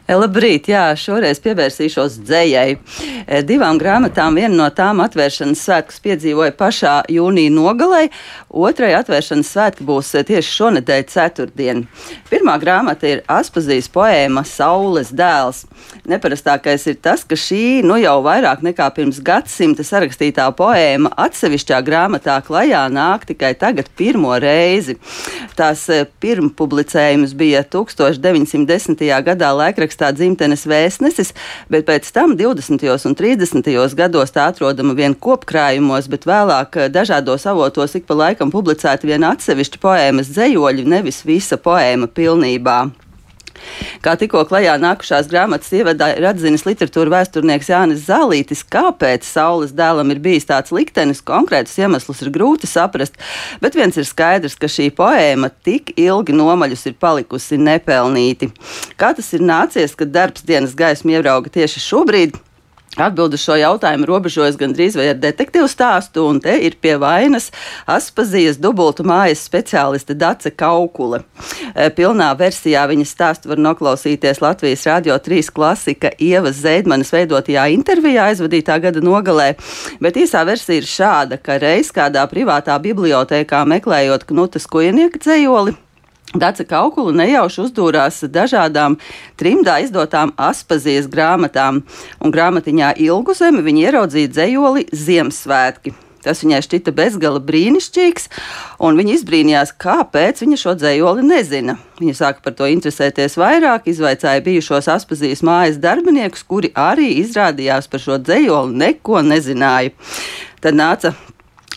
Labrīt, jā, šoreiz pievērsīšos dzejai. Divām grāmatām, viena no tām atvēršanas svētkus piedzīvoja pašā jūnija nogalē, otrai atvēršanas svētki būs tieši šonedēļ ceturtdien. Pirmā grāmata ir Aspazijas poēma Saules dēls. Neparastākais ir tas, ka šī jau vairāk nekā pirms gadsimta sarakstītā poēma atsevišķā grāmatā klajā nāk tikai tagad pirmo reizi. Tās pirmpublicējums bija 1910. gadā laikrakstā Dzimtenes vēstnesis, bet pēc tam 20. un 30. gados tā atrodama vien kopkrājumos, bet vēlāk dažādos avotos ik pa laikam publicēta vien atsevišķi poēmas dzejoļi, nevis visa poēma pilnībā. Kā tikko klajā nākušās grāmatas ievadā ir atzinis literatūra vēsturnieks Jānis Zālītis, kāpēc Saules dēlam ir bijis tāds liktenis, konkrētus iemeslus ir grūti saprast, bet viens ir skaidrs, ka šī poēma tik ilgi nomaļus ir palikusi nepelnīti. Kā tas ir nācies, kad darbs dienas gaismu ierauga tieši šobrīd? Atbildi uz šo jautājumu robežojas gandrīz vai ar detektīvu stāstu, un te ir pie vainas Aspazijas dubultu mājas speciāliste Dace Kaukule. Pilnā versijā viņas stāstu var noklausīties Latvijas Radio 3 klasika Ievas Zeidmanes veidotajā intervijā aizvadītā gada nogalē, bet īsā versija ir šāda, ka reiz kādā privātā bibliotēkā meklējot Knuta Skujnieka dzejoli, Dace Kaukule nejauši uzdūrās dažādām trimdā izdotām Aspazijas grāmatām, un grāmatiņā Ilgu zemi viņa ieraudzīja dzejoli Ziemassvētki. Tas viņai šķita bezgala brīnišķīgs, un viņa izbrīnījās, kāpēc viņa šo dzejoli nezina. Viņa sāka par to interesēties vairāk, izvaicāja bijušos Aspazijas mājas darbiniekus, kuri arī izrādījās par šo dzejoli neko nezināja. Tad nāca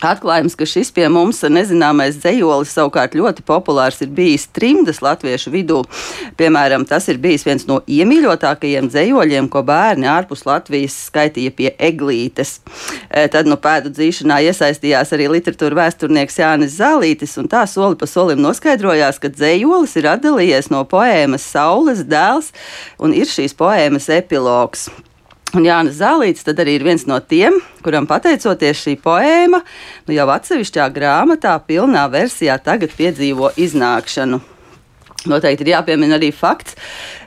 atklājums, ka šis pie mums nezināmais dzejolis savukārt ļoti populārs ir bijis trimdas latviešu vidū. Piemēram, tas ir bijis viens no iemīļotākajiem dzejoļiem, ko bērni ārpus Latvijas skaitīja pie eglītes. Tad pēdu dzīšanā iesaistījās arī literatūra vēsturnieks Jānis Zālītis, un tā soli pa solim noskaidrojās, ka dzejolis ir atdalījies no poēmas Saules dēls un ir šīs poēmas epilogs. Un Jānis Zālītis tad arī ir viens no tiem, kuram pateicoties šī poēma, jau atsevišķā grāmatā pilnā versijā tagad piedzīvo iznākšanu. Noteikti ir jāpiemina arī fakts,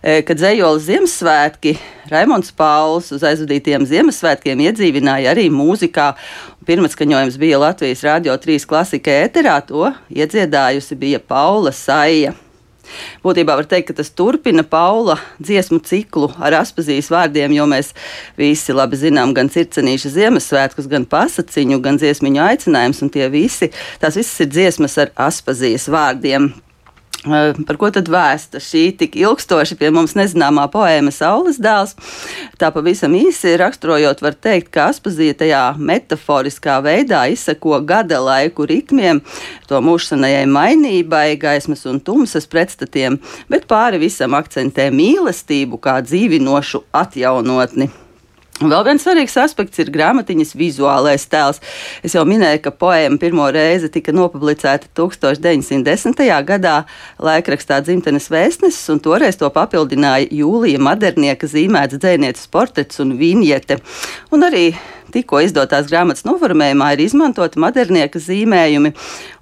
ka dzejola Ziemassvētki Raimonds Pauls uz aizvadītiem Ziemassvētkiem iedzīvināja arī mūzikā. Pirmatskaņojums bija Latvijas Radio 3 klasika ēterā, to iedziedājusi bija Paula Saija. Būtībā var teikt, ka tas turpina Paula dziesmu ciklu ar Aspazijas vārdiem, jo mēs visi labi zinām gan Circenīša Ziemassvētkus, gan pasaciņu, gan dziesmiņu aicinājums, un tās visas ir dziesmas ar Aspazijas vārdiem. Par ko tad vēsta šī tik ilgstoši pie mums nezināmā poēma Saules dēls? Tā pavisam īsi raksturojot, var teikt, ka Aspazija tajā metaforiskā veidā izseko gada laiku ritmiem, to mūžsanajai mainībai, gaismas un tumsas pretstatiem, bet pāri visam akcentē mīlestību kā dzīvinošu atjaunotni. Un vēl viens svarīgs aspekts ir grāmatiņas vizuālais tēls. Es jau minēju, ka poēma pirmo reizi tika nopublicēta 1910. gadā laikrakstā Dzimtenes vēstnesis, un toreiz to papildināja Jūlija Madernieka zīmēts dzejnieces portrets un viņete. Un arī tikko izdotās grāmatas noformējumā ir izmantoti Madernieka zīmējumi,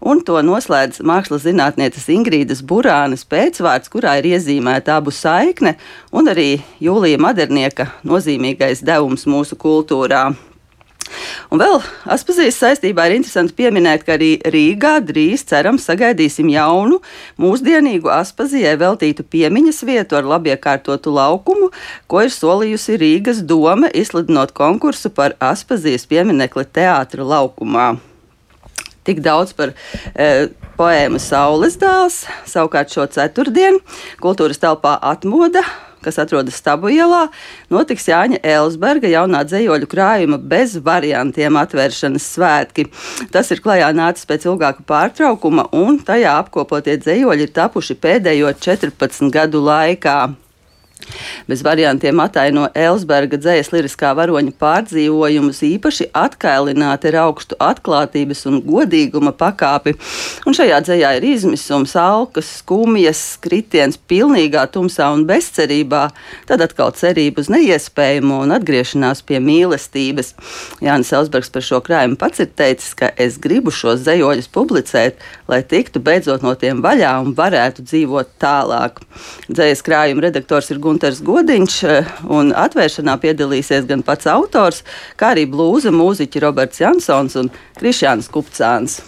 un to noslēdz mākslas zinātnieces Ingrīdas Burānes pēcvārds, kurā ir iezīmēta abu saikne, un arī Jūlija Madernieka nozīmīgais devums mūsu kultūrā. Un vēl Aspazijas saistībā ir interesanti pieminēt, ka arī Rīgā drīz cerams sagaidīsim jaunu, mūsdienīgu Aspazijai veltītu piemiņas vietu ar labiekārtotu laukumu, ko ir solījusi Rīgas doma, izsludinot konkursu par Aspazijas pieminekli teātra laukumā. Tik daudz par poēmu Saules dēls. Savukārt šo ceturtdienu kultūras telpā Atmoda, kas atrodas Stabu ielā, notiks Jāņa Elsberga jaunā dzejoļu krājuma bez variantiem atvēršanas svētki. Tas ir klajā nācis pēc ilgāka pārtraukuma, un tajā apkopotie dzejoļi ir tapuši pēdējo 14 gadu laikā. Bez variantiem ataino Elsberga dzejas liriskā varoņa pārdzīvojumus, īpaši atkailināti ar augstu atklātības un godīguma pakāpi. Un šajā dzejā ir izmisums, alkas, skumjas, kritiens pilnīgā tumsā un bezcerībā, tad atkal cerība uz neiespējamo un atgriešanās pie mīlestības. Jānis Elsbergs par šo krājumu pats ir teicis, ka es gribu šos dzejoļus publicēt, lai tiktu beidzot no tiem vaļā un varētu dzīvot tālāk. Dzejas krājuma redaktors ir Gunters Godiņš, un atvēršanā piedalīsies gan pats autors, kā arī blūza mūziķi Roberts Jansons un Krišjāns Kupcāns.